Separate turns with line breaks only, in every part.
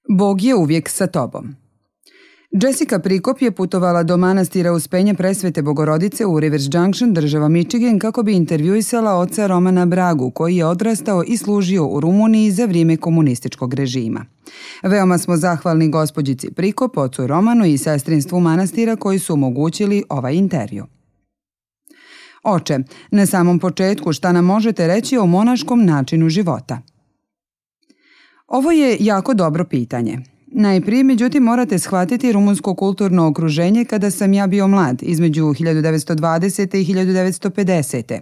Bog je uvijek sa tobom. Jessica Prikop je putovala do manastira Uspenja Presvete Bogorodice u Rivers Junction, država Michigan, kako bi intervjuisala oca Romana Bragu, koji je odrastao i služio u Rumuniji za vrijeme komunističkog režima. Veoma smo zahvalni gospođici Prikop, ocu Romanu i sestrinstvu manastira koji su omogućili ovaj intervju. Oče, na samom početku šta nam možete reći o monaškom načinu života? Ovo je jako dobro pitanje. Najprije, međutim, morate shvatiti rumunsko kulturno okruženje kada sam ja bio mlad, između 1920. i 1950.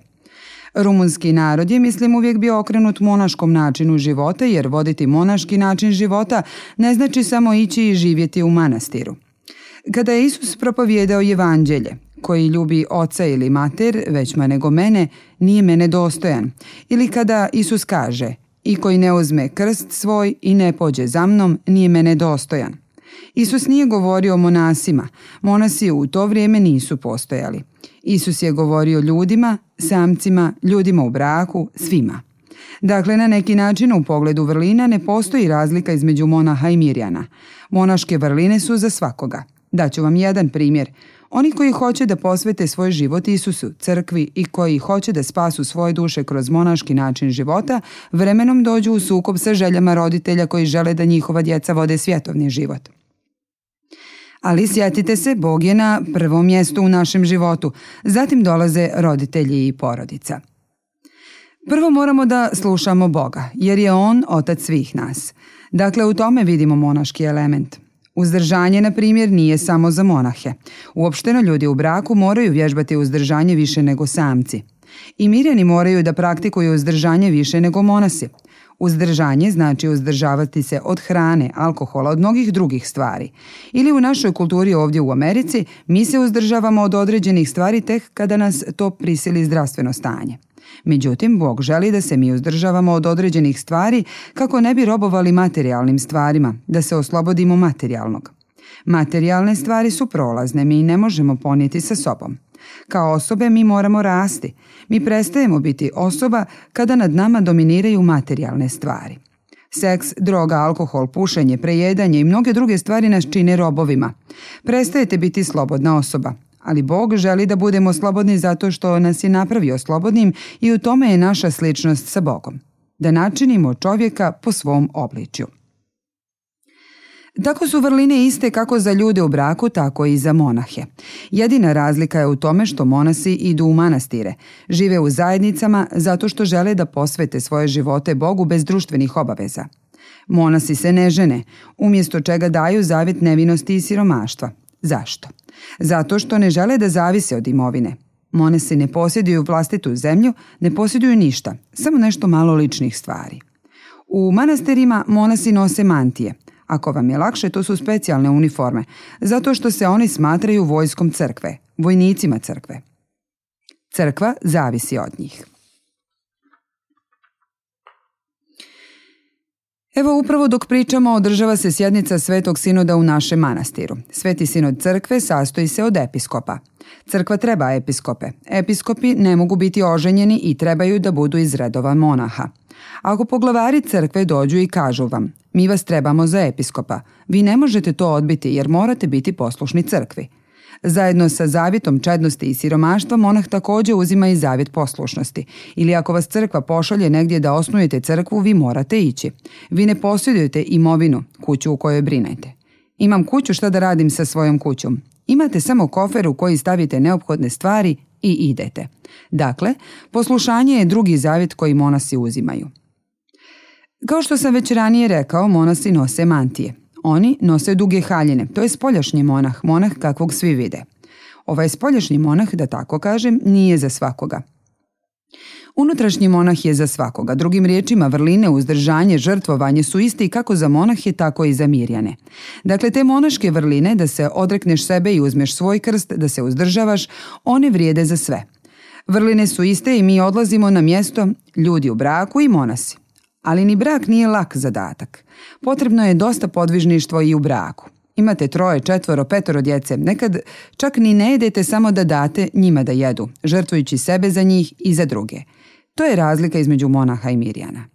Rumunski narod je, mislim, uvijek bio okrenut monaškom načinu života, jer voditi monaški način života ne znači samo ići i živjeti u manastiru. Kada je Isus propovijedao evanđelje, koji ljubi oca ili mater, većma nego mene, nije mene dostojan. Ili kada Isus kaže, i koji ne uzme krst svoj i ne pođe za mnom, nije mene dostojan. Isus nije govorio o monasima. Monasi u to vrijeme nisu postojali. Isus je govorio ljudima, samcima, ljudima u braku, svima. Dakle, na neki način u pogledu vrlina ne postoji razlika između monaha i mirjana. Monaške vrline su za svakoga. Daću vam jedan primjer. Oni koji hoće da posvete svoj život Isusu, crkvi i koji hoće da spasu svoje duše kroz monaški način života, vremenom dođu u sukob sa željama roditelja koji žele da njihova djeca vode svjetovni život. Ali sjetite se, Bog je na prvom mjestu u našem životu, zatim dolaze roditelji i porodica. Prvo moramo da slušamo Boga, jer je On otac svih nas. Dakle, u tome vidimo monaški element. Uzdržanje, na primjer, nije samo za monahe. Uopšteno ljudi u braku moraju vježbati uzdržanje više nego samci. I mirjani moraju da praktikuju uzdržanje više nego monasi. Uzdržanje znači uzdržavati se od hrane, alkohola, od mnogih drugih stvari. Ili u našoj kulturi ovdje u Americi mi se uzdržavamo od određenih stvari tek kada nas to prisili zdravstveno stanje. Međutim, Bog želi da se mi uzdržavamo od određenih stvari kako ne bi robovali materijalnim stvarima, da se oslobodimo materijalnog. Materijalne stvari su prolazne, mi ne možemo ponijeti sa sobom. Kao osobe mi moramo rasti. Mi prestajemo biti osoba kada nad nama dominiraju materijalne stvari. Seks, droga, alkohol, pušenje, prejedanje i mnoge druge stvari nas čine robovima. Prestajete biti slobodna osoba. Ali Bog želi da budemo slobodni zato što nas je napravio slobodnim i u tome je naša sličnost sa Bogom. Da načinimo čovjeka po svom obličju. Tako su vrline iste kako za ljude u braku, tako i za monahe. Jedina razlika je u tome što monasi idu u manastire, žive u zajednicama zato što žele da posvete svoje živote Bogu bez društvenih obaveza. Monasi se ne žene, umjesto čega daju zavjet nevinosti i siromaštva. Zašto? Zato što ne žele da zavise od imovine. Monasi ne posjeduju vlastitu zemlju, ne posjeduju ništa, samo nešto malo ličnih stvari. U manastirima monasi nose mantije. Ako vam je lakše, to su specijalne uniforme, zato što se oni smatraju vojskom crkve, vojnicima crkve. Crkva zavisi od njih. Evo upravo dok pričamo održava se sjednica Svetog sinoda u našem manastiru. Sveti sinod crkve sastoji se od episkopa. Crkva treba episkope. Episkopi ne mogu biti oženjeni i trebaju da budu iz redova monaha. Ako poglavari crkve dođu i kažu vam, mi vas trebamo za episkopa, vi ne možete to odbiti jer morate biti poslušni crkvi. Zajedno sa zavjetom čednosti i siromaštva monah također uzima i zavjet poslušnosti. Ili ako vas crkva pošalje negdje da osnujete crkvu, vi morate ići. Vi ne posjedujete imovinu, kuću u kojoj brinete. Imam kuću, šta da radim sa svojom kućom? Imate samo kofer u koji stavite neophodne stvari i idete. Dakle, poslušanje je drugi zavjet koji monasi uzimaju. Kao što sam već ranije rekao, monasi nose mantije. Oni nose duge haljine, to je spoljašnji monah, monah kakvog svi vide. Ovaj spoljašnji monah, da tako kažem, nije za svakoga. Unutrašnji monah je za svakoga. Drugim riječima, vrline, uzdržanje, žrtvovanje su isti kako za monahe, tako i za mirjane. Dakle, te monaške vrline, da se odrekneš sebe i uzmeš svoj krst, da se uzdržavaš, one vrijede za sve. Vrline su iste i mi odlazimo na mjesto ljudi u braku i monasi. Ali ni brak nije lak zadatak. Potrebno je dosta podvižništvo i u braku. Imate 3, 4, 5 djece, nekad čak ni ne jedete samo da date njima da jedu, žrtvujući sebe za njih i za druge. To je razlika između monaha i mirjana.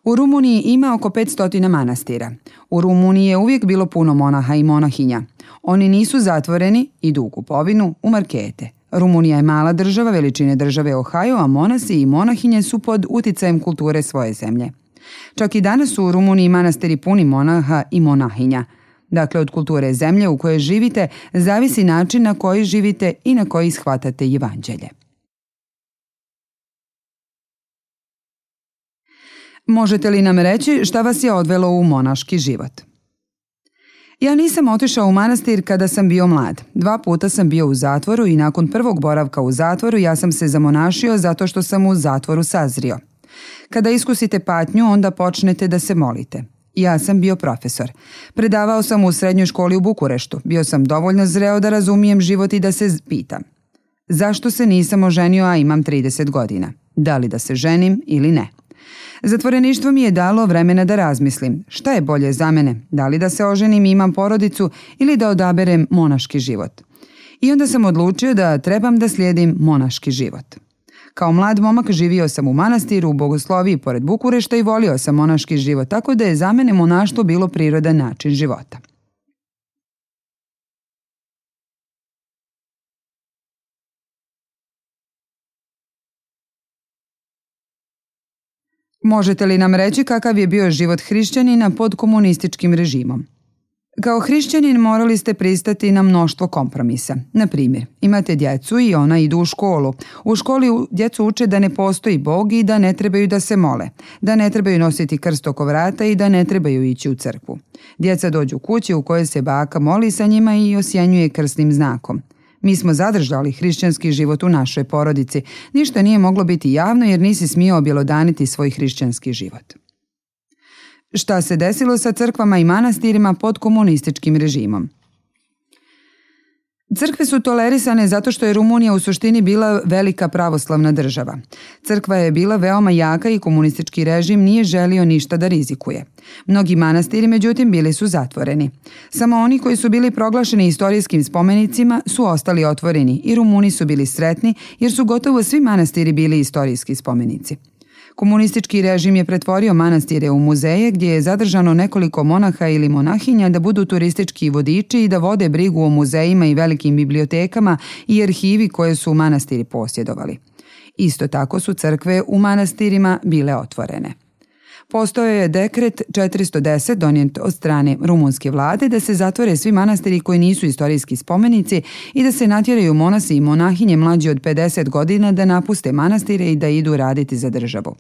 U Rumuniji ima oko 500 manastira. U Rumuniji je uvijek bilo puno monaha i monahinja. Oni nisu zatvoreni, idu u kupovinu, u markete. Rumunija je mala država veličine države Ohio, a monasi i monahinje su pod uticajem kulture svoje zemlje. Čak i danas su u Rumuniji manastiri puni monaha i monahinja. Dakle, od kulture zemlje u kojoj živite zavisi način na koji živite i na koji shvatate evanđelje. Možete li nam reći šta vas je odvelo u monaški život? Ja nisam otišao u manastir kada sam bio mlad. 2 puta sam bio u zatvoru i nakon prvog boravka u zatvoru ja sam se zamonašio zato što sam u zatvoru sazrio. Kada iskusite patnju, onda počnete da se molite. Ja sam bio profesor. Predavao sam u srednjoj školi u Bukureštu. Bio sam dovoljno zreo da razumijem život i da se pitam. Zašto se nisam oženio, a imam 30 godina? Da li da se ženim ili ne? Zatvoreništvo mi je dalo vremena da razmislim šta je bolje za mene, da li da se oženim i imam porodicu ili da odaberem monaški život. I onda sam odlučio da trebam da slijedim monaški život. Kao mlad momak živio sam u manastiru u Bogosloviji pored Bukurešta i volio sam monaški život, tako da je za mene monaštvo bilo prirodan način života. Možete li nam reći kakav je bio život hrišćanina pod komunističkim režimom? Kao hrišćanin morali ste pristati na mnoštvo kompromisa. Na primjer, imate djecu i ona idu u školu. U školi djecu uče da ne postoji Bog i da ne trebaju da se mole, da ne trebaju nositi krst oko vrata i da ne trebaju ići u crkvu. Djeca dođu kući u kojoj se baka moli sa njima i osjenjuje krstnim znakom. Mi smo zadržali hrišćanski život u našoj porodici. Ništa nije moglo biti javno jer nisi smio objelodaniti svoj hrišćanski život. Šta se desilo sa crkvama i manastirima pod komunističkim režimom? Crkve su tolerisane zato što je Rumunija u suštini bila velika pravoslavna država. Crkva je bila veoma jaka i komunistički režim nije želio ništa da rizikuje. Mnogi manastiri, međutim, bili su zatvoreni. Samo oni koji su bili proglašeni istorijskim spomenicima su ostali otvoreni i Rumuni su bili sretni jer su gotovo svi manastiri bili istorijski spomenici. Komunistički režim je pretvorio manastire u muzeje gdje je zadržano nekoliko monaha ili monahinja da budu turistički vodiči i da vode brigu o muzejima i velikim bibliotekama i arhivi koje su manastiri posjedovali. Isto tako su crkve u manastirima bile otvorene. Postojao je dekret 410 donijet od strane rumunske vlade da se zatvore svi manastiri koji nisu istorijski spomenici i da se natjeraju monasi i monahinje mlađi od 50 godina da napuste manastire i da idu raditi za državu.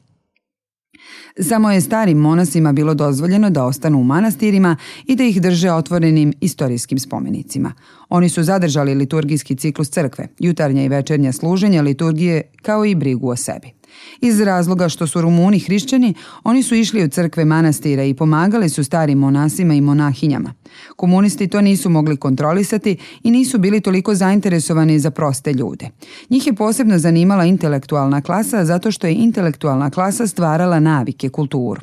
Samo je starim monasima bilo dozvoljeno da ostanu u manastirima i da ih drže otvorenim istorijskim spomenicima. Oni su zadržali liturgijski ciklus crkve, jutarnja i večernja služenja liturgije kao i brigu o sebi. Iz razloga što su Rumuni hrišćani, oni su išli u crkve manastira i pomagali su starim monasima i monahinjama. Komunisti to nisu mogli kontrolisati i nisu bili toliko zainteresovani za proste ljude. Njih je posebno zanimala intelektualna klasa zato što je intelektualna klasa stvarala navike, kulturu.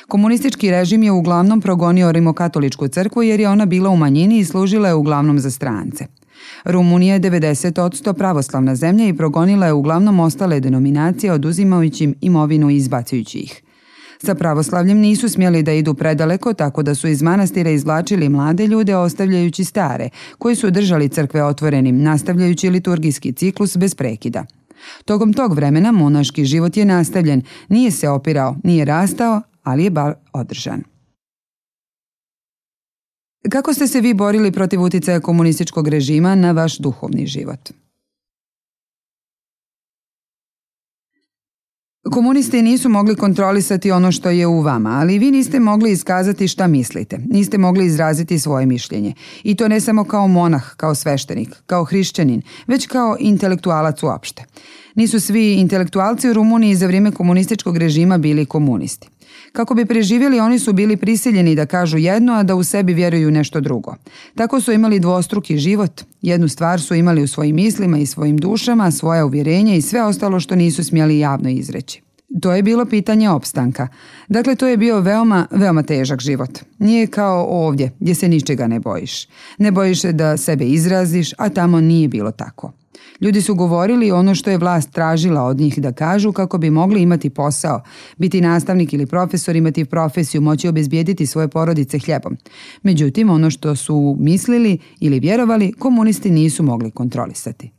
Komunistički režim je uglavnom progonio rimokatoličku crkvu jer je ona bila u manjini i služila je uglavnom za strance. Rumunija je 90% pravoslavna zemlja i progonila je uglavnom ostale denominacije oduzimajući im imovinu i izbacujući ih. Sa pravoslavljem nisu smjeli da idu predaleko, tako da su iz manastira izvlačili mlade ljude ostavljajući stare, koji su držali crkve otvorenim, nastavljajući liturgijski ciklus bez prekida. Tokom tog vremena monaški život je nastavljen, nije se opirao, nije rastao, ali je bar održan. Kako ste se vi borili protiv uticaja komunističkog režima na vaš duhovni život? Komunisti nisu mogli kontrolisati ono što je u vama, ali vi niste mogli iskazati šta mislite, niste mogli izraziti svoje mišljenje. I to ne samo kao monah, kao sveštenik, kao hrišćanin, već kao intelektualac uopšte. Nisu svi intelektualci u Rumuniji za vrijeme komunističkog režima bili komunisti. Kako bi preživjeli, oni su bili prisiljeni da kažu jedno, a da u sebi vjeruju nešto drugo. Tako su imali dvostruki život. Jednu stvar su imali u svojim mislima i svojim dušama, svoja uvjerenja i sve ostalo što nisu smjeli javno izreći. To je bilo pitanje opstanka. Dakle, to je bio veoma, veoma težak život. Nije kao ovdje, gdje se ničega ne bojiš. Ne bojiš se da sebe izraziš, a tamo nije bilo tako. Ljudi su govorili ono što je vlast tražila od njih da kažu kako bi mogli imati posao, biti nastavnik ili profesor, imati profesiju, moći obezbijediti svoje porodice hljebom. Međutim, ono što su mislili ili vjerovali, komunisti nisu mogli kontrolisati.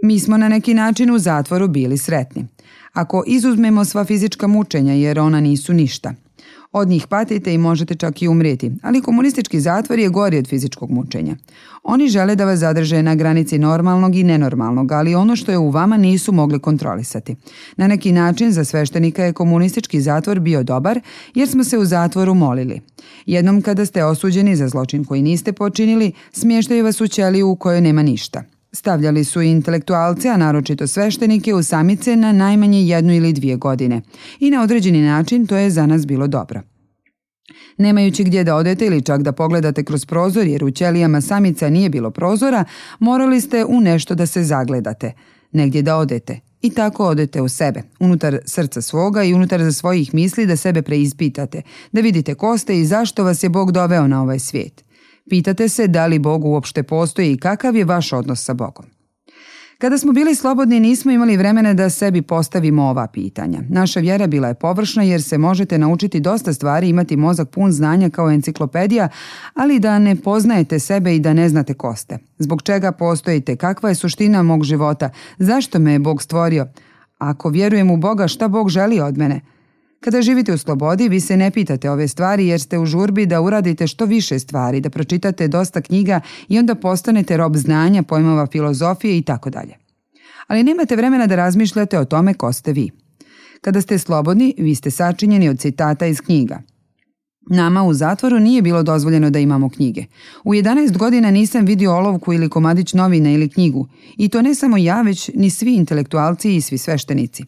Mi smo na neki način u zatvoru bili sretni. Ako izuzmemo sva fizička mučenja jer ona nisu ništa. Od njih patite i možete čak i umrijeti, ali komunistički zatvor je gori od fizičkog mučenja. Oni žele da vas zadrže na granici normalnog i nenormalnog, ali ono što je u vama nisu mogli kontrolisati. Na neki način za sveštenika je komunistički zatvor bio dobar jer smo se u zatvoru molili. Jednom kada ste osuđeni za zločin koji niste počinili, smještaju vas u ćeliju u kojoj nema ništa. Stavljali su i intelektualce, a naročito sveštenike, u samice na najmanje 1 ili 2 godine. I na određeni način to je za nas bilo dobro. Nemajući gdje da odete ili čak da pogledate kroz prozor, jer u ćelijama samica nije bilo prozora, morali ste u nešto da se zagledate, negdje da odete. I tako odete u sebe, unutar srca svoga i unutar svojih misli da sebe preispitate, da vidite ko ste i zašto vas je Bog doveo na ovaj svijet. Pitate se da li Bog uopšte postoji i kakav je vaš odnos sa Bogom. Kada smo bili slobodni nismo imali vremena da sebi postavimo ova pitanja. Naša vjera bila je površna jer se možete naučiti dosta stvari, imati mozak pun znanja kao enciklopedija, ali da ne poznajete sebe i da ne znate ko ste. Zbog čega postojite, kakva je suština mog života, zašto me je Bog stvorio? Ako vjerujem u Boga, šta Bog želi od mene? Kada živite u slobodi, vi se ne pitate ove stvari jer ste u žurbi da uradite što više stvari, da pročitate dosta knjiga i onda postanete rob znanja, pojmova filozofije i tako dalje. Ali nemate vremena da razmišljate o tome ko ste vi. Kada ste slobodni, vi ste sačinjeni od citata iz knjiga. Nama u zatvoru nije bilo dozvoljeno da imamo knjige. U 11 godina nisam vidio olovku ili komadić novina ili knjigu. I to ne samo ja, već ni svi intelektualci i svi sveštenici.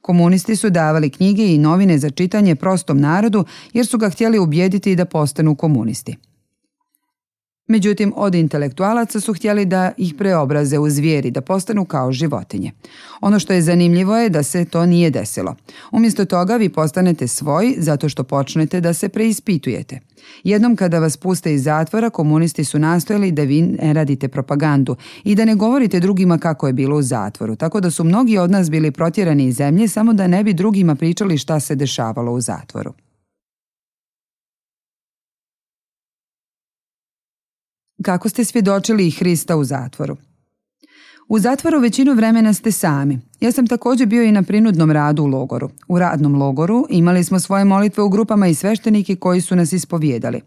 Komunisti su davali knjige i novine za čitanje prostom narodu jer su ga htjeli ubijediti da postanu komunisti. Međutim, od intelektualaca su htjeli da ih preobraze u zvijeri, da postanu kao životinje. Ono što je zanimljivo je da se to nije desilo. Umjesto toga vi postanete svoji zato što počnete da se preispitujete. Jednom kada vas puste iz zatvora, komunisti su nastojali da vi ne radite propagandu i da ne govorite drugima kako je bilo u zatvoru, tako da su mnogi od nas bili protjerani iz zemlje samo da ne bi drugima pričali šta se dešavalo u zatvoru. Kako ste svjedočili Hrista u zatvoru? U zatvoru većinu vremena ste sami. Ja sam također bio i na prinudnom radu u logoru. U radnom logoru imali smo svoje molitve u grupama i sveštenike koji su nas ispovijedali.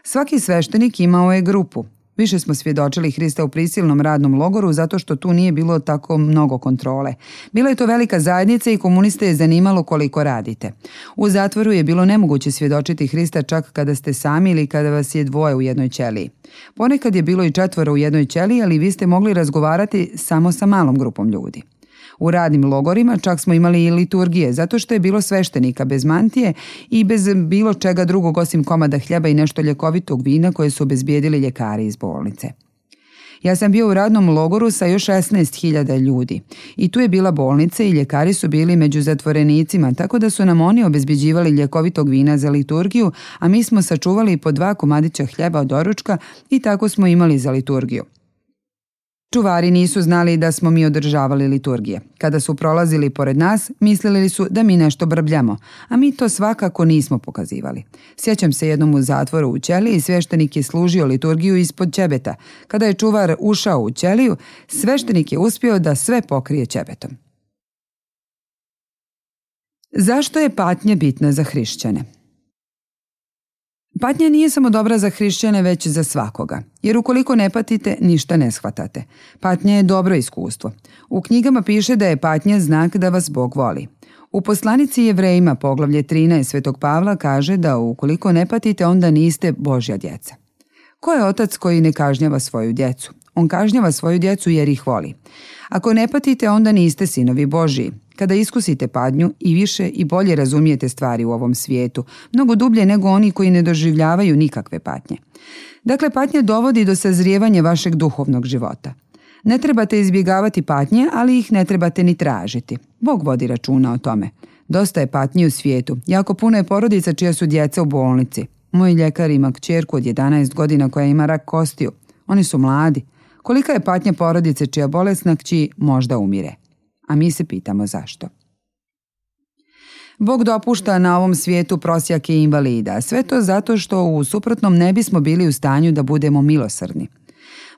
Svaki sveštenik imao je grupu. Više smo svjedočili Hrista u prisilnom radnom logoru zato što tu nije bilo tako mnogo kontrole. Bila je to velika zajednica i komuniste je zanimalo koliko radite. U zatvoru je bilo nemoguće svjedočiti Hrista čak kada ste sami ili kada vas je 2 u jednoj ćeliji. Ponekad je bilo i 4 u jednoj ćeliji, ali vi ste mogli razgovarati samo sa malom grupom ljudi. U radnim logorima čak smo imali i liturgije, zato što je bilo sveštenika bez mantije i bez bilo čega drugog osim komada hljeba i nešto ljekovitog vina koje su obezbijedili ljekari iz bolnice. Ja sam bio u radnom logoru sa još 16.000 ljudi i tu je bila bolnica i ljekari su bili među zatvorenicima, tako da su nam oni obezbjeđivali ljekovitog vina za liturgiju, a mi smo sačuvali po 2 komadića hljeba od doručka i tako smo imali za liturgiju. Čuvari nisu znali da smo mi održavali liturgije. Kada su prolazili pored nas, mislili su da mi nešto brbljamo, a mi to svakako nismo pokazivali. Sjećam se jednom u zatvoru u ćeliji, sveštenik je služio liturgiju ispod ćebeta. Kada je čuvar ušao u ćeliju, sveštenik je uspio da sve pokrije ćebetom. Zašto je patnja bitna za hrišćane? Patnja nije samo dobra za hrišćane, već za svakoga, jer ukoliko ne patite, ništa ne shvatate. Patnja je dobro iskustvo. U knjigama piše da je patnja znak da vas Bog voli. U poslanici Jevrejima, poglavlje 13 Svetog Pavla kaže da ukoliko ne patite, onda niste Božja djeca. Ko je otac koji ne kažnjava svoju djecu? On kažnjava svoju djecu jer ih voli. Ako ne patite, onda niste sinovi Božji. Kada iskusite patnju i više i bolje razumijete stvari u ovom svijetu, mnogo dublje nego oni koji ne doživljavaju nikakve patnje. Dakle, patnja dovodi do sazrijevanja vašeg duhovnog života. Ne trebate izbjegavati patnje, ali ih ne trebate ni tražiti. Bog vodi računa o tome. Dosta je patnji u svijetu. Jako puno je porodica čija su djeca u bolnici. Moj ljekar ima kćerku od 11 godina koja ima rak kostiju. Oni su mladi. Kolika je patnja porodice čija bolesna kći možda umire? A mi se pitamo zašto. Bog dopušta na ovom svijetu prosjake i invalida. Sve to zato što u suprotnom ne bismo bili u stanju da budemo milosrdni.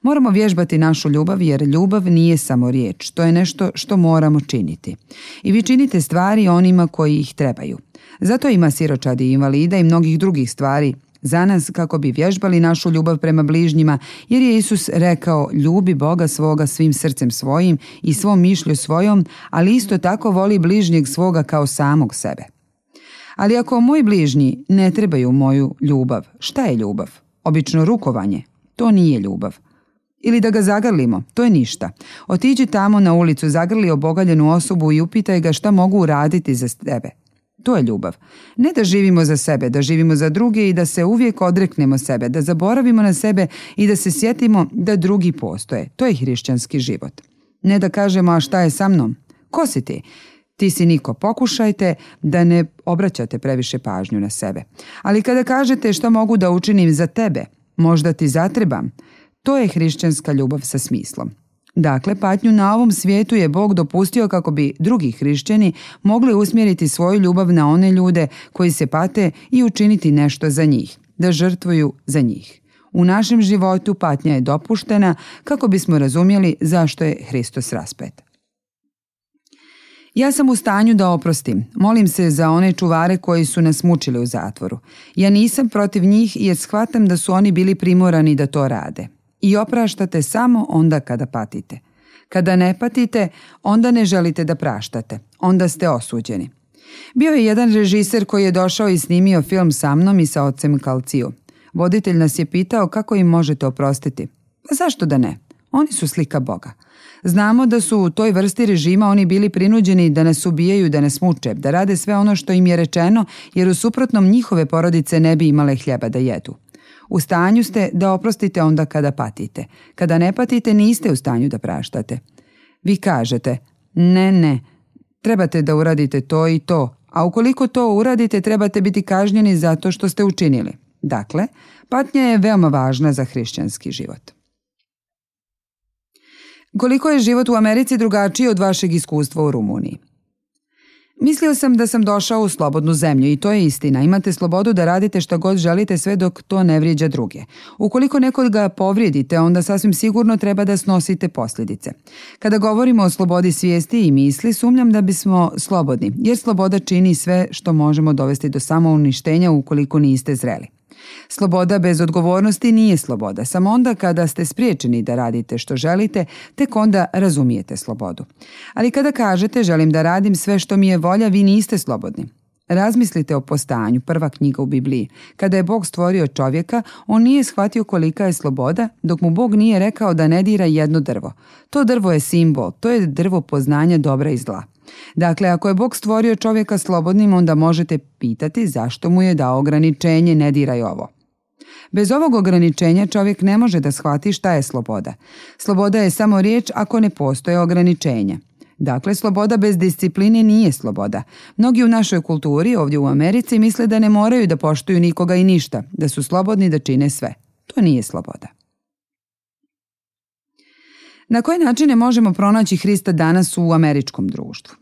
Moramo vježbati našu ljubav jer ljubav nije samo riječ, to je nešto što moramo činiti. I vi činite stvari onima koji ih trebaju. Zato ima siročadi i invalida i mnogih drugih stvari za nas kako bi vježbali našu ljubav prema bližnjima, jer je Isus rekao ljubi Boga svoga svim srcem svojim i svom mišlju svojom, ali isto tako voli bližnjeg svoga kao samog sebe. Ali ako moji bližnji ne trebaju moju ljubav, šta je ljubav? Obično rukovanje, to nije ljubav. Ili da ga zagrlimo, to je ništa. Otiđi tamo na ulicu, zagrli obogaljenu osobu i upitaj ga šta mogu uraditi za tebe. To je ljubav. Ne da živimo za sebe, da živimo za druge i da se uvijek odreknemo sebe, da zaboravimo na sebe i da se sjetimo da drugi postoje. To je hrišćanski život. Ne da kažemo a šta je sa mnom? Ko si ti? Ti si niko. Pokušajte da ne obraćate previše pažnju na sebe. Ali kada kažete šta mogu da učinim za tebe, možda ti zatrebam, to je hrišćanska ljubav sa smislom. Dakle, patnju na ovom svijetu je Bog dopustio kako bi drugi hrišćani mogli usmjeriti svoju ljubav na one ljude koji se pate i učiniti nešto za njih, da žrtvuju za njih. U našem životu patnja je dopuštena kako bismo razumjeli zašto je Hristos raspet. Ja sam u stanju da oprostim. Molim se za one čuvare koji su nas mučili u zatvoru. Ja nisam protiv njih jer shvatam da su oni bili primorani da to rade. I opraštate samo onda kada patite. Kada ne patite, onda ne želite da praštate. Onda ste osuđeni. Bio je jedan režiser koji je došao i snimio film sa mnom i sa ocem Kalciju. Voditelj nas je pitao kako im možete oprostiti. Pa zašto da ne? Oni su slika Boga. Znamo da su u toj vrsti režima oni bili prinuđeni da nas ubijaju, da nas muče, da rade sve ono što im je rečeno, jer u suprotnom njihove porodice ne bi imale hljeba da jedu. U stanju ste da oprostite onda kada patite. Kada ne patite, niste u stanju da praštate. Vi kažete, ne, trebate da uradite to i to, a ukoliko to uradite, trebate biti kažnjeni zato što ste učinili. Dakle, patnja je veoma važna za hrišćanski život. Koliko je život u Americi drugačiji od vašeg iskustva u Rumuniji? Mislio sam da sam došao u slobodnu zemlju i to je istina. Imate slobodu da radite šta god želite sve dok to ne vrijeđa druge. Ukoliko nekoga povrijedite, onda sasvim sigurno treba da snosite posljedice. Kada govorimo o slobodi svijesti i misli, sumnjam da bismo slobodni, jer sloboda čini sve što možemo dovesti do samouništenja ukoliko niste zreli. Sloboda bez odgovornosti nije sloboda, samo onda kada ste spriječeni da radite što želite, tek onda razumijete slobodu. Ali kada kažete želim da radim sve što mi je volja, vi niste slobodni. Razmislite o Postanju, prva knjiga u Bibliji. Kada je Bog stvorio čovjeka, on nije shvatio kolika je sloboda, dok mu Bog nije rekao da ne dira jedno drvo. To drvo je simbol, to je drvo poznanja dobra i zla. Dakle, ako je Bog stvorio čovjeka slobodnim, onda možete pitati zašto mu je dao ograničenje ne diraj ovo. Bez ovog ograničenja čovjek ne može da shvati šta je sloboda. Sloboda je samo riječ ako ne postoje ograničenja. Dakle, sloboda bez discipline nije sloboda. Mnogi u našoj kulturi, ovdje u Americi, misle da ne moraju da poštuju nikoga i ništa, da su slobodni da čine sve. To nije sloboda. Na koje načine možemo pronaći Hrista danas u američkom društvu?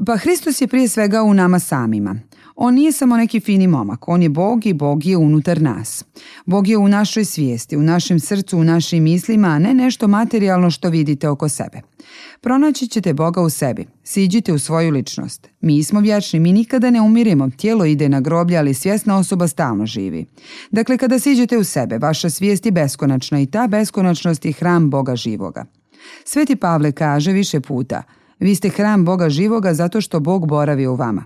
Pa Hristos je prije svega u nama samima. On nije samo neki fini momak, on je Bog i Bog je unutar nas. Bog je u našoj svijesti, u našem srcu, u našim mislima, a ne nešto materijalno što vidite oko sebe. Pronaći ćete Boga u sebi, siđite u svoju ličnost. Mi smo vječni, mi nikada ne umiremo, tijelo ide na groblje, ali svjesna osoba stalno živi. Dakle, kada siđete u sebe, vaša svijest je beskonačna i ta beskonačnost je hram Boga živoga. Sveti Pavle kaže više puta, vi ste hram Boga živoga zato što Bog boravi u vama.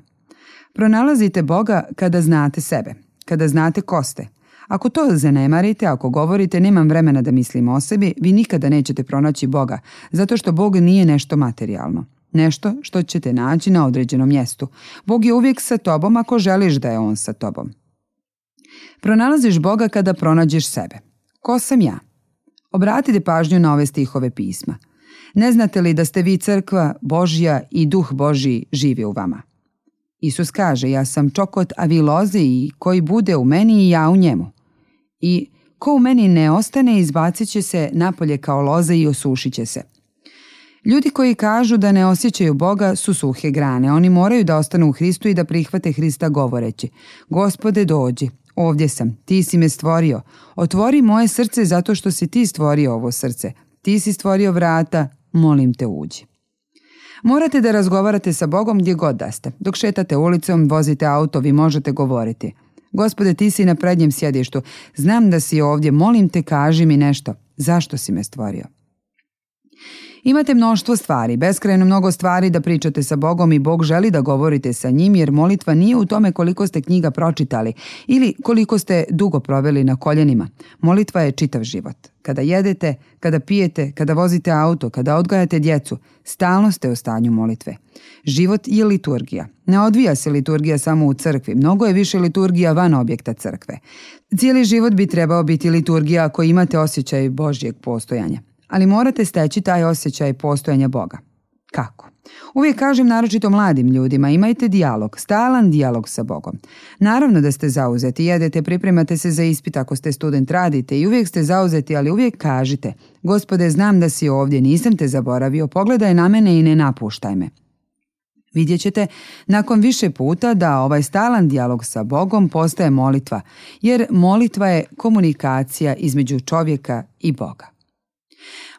Pronalazite Boga kada znate sebe, kada znate ko ste. Ako to zanemarite, ako govorite nemam vremena da mislim o sebi, vi nikada nećete pronaći Boga, zato što Bog nije nešto materijalno. Nešto što ćete naći na određenom mjestu. Bog je uvijek sa tobom ako želiš da je On sa tobom. Pronalaziš Boga kada pronađeš sebe. Ko sam ja? Obratite pažnju na ove stihove pisma. Ne znate li da ste vi crkva Božja i Duh Božji živi u vama? Isus kaže, ja sam čokot, a vi loze i koji bude u meni i ja u njemu. I ko u meni ne ostane, izbacit će se napolje kao loze i osušit će se. Ljudi koji kažu da ne osjećaju Boga su suhe grane. Oni moraju da ostanu u Hristu i da prihvate Hrista govoreći: Gospode, dođi, ovdje sam, ti si me stvorio. Otvori moje srce zato što si ti stvorio ovo srce. Ti si stvorio vrata, molim te, uđi. Morate da razgovarate sa Bogom gdje god da ste. Dok šetate ulicom, vozite auto, vi možete govoriti: Gospode, ti si na prednjem sjedištu, znam da si ovdje, molim te, kaži mi nešto. Zašto si me stvorio? Imate mnoštvo stvari, beskrajno mnogo stvari da pričate sa Bogom i Bog želi da govorite sa njim, jer molitva nije u tome koliko ste knjiga pročitali ili koliko ste dugo proveli na koljenima. Molitva je čitav život. Kada jedete, kada pijete, kada vozite auto, kada odgajate djecu, stalno ste u stanju molitve. Život je liturgija. Ne odvija se liturgija samo u crkvi, mnogo je više liturgija van objekta crkve. Cijeli život bi trebao biti liturgija ako imate osjećaj Božjeg postojanja. Ali morate steći taj osjećaj postojanja Boga. Kako? Uvijek kažem naročito mladim ljudima, imajte dijalog, stalan dijalog sa Bogom. Naravno da ste zauzeti, jedete, pripremate se za ispit, ako ste student radite i uvijek ste zauzeti, ali uvijek kažite: Gospode, znam da si ovdje, nisam te zaboravio, pogledaj na mene i ne napuštaj me. Vidjet ćete nakon više puta da ovaj stalan dijalog sa Bogom postaje molitva, jer molitva je komunikacija između čovjeka i Boga.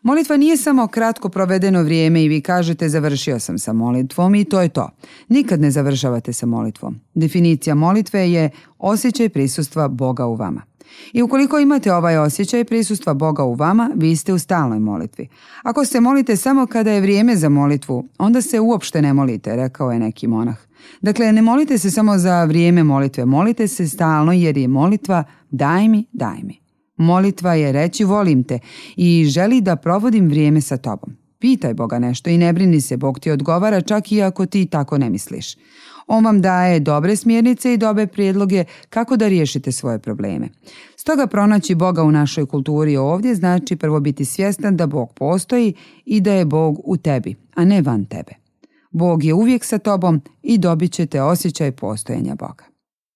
Molitva nije samo kratko provedeno vrijeme i vi kažete završio sam sa molitvom i to je to. Nikad ne završavate sa molitvom. Definicija molitve je osjećaj prisustva Boga u vama. I ukoliko imate ovaj osjećaj prisustva Boga u vama, vi ste u stalnoj molitvi. Ako se molite samo kada je vrijeme za molitvu, onda se uopšte ne molite, rekao je neki monah. Dakle, ne molite se samo za vrijeme molitve, molite se stalno jer je molitva daj mi, daj mi. Molitva je reći volim te i želi da provodim vrijeme sa tobom. Pitaj Boga nešto i ne brini se, Bog ti odgovara čak i ako ti tako ne misliš. On vam daje dobre smjernice i dobre prijedloge kako da riješite svoje probleme. Stoga pronaći Boga u našoj kulturi ovdje znači prvo biti svjestan da Bog postoji i da je Bog u tebi, a ne van tebe. Bog je uvijek sa tobom i dobit ćete osjećaj postojanja Boga.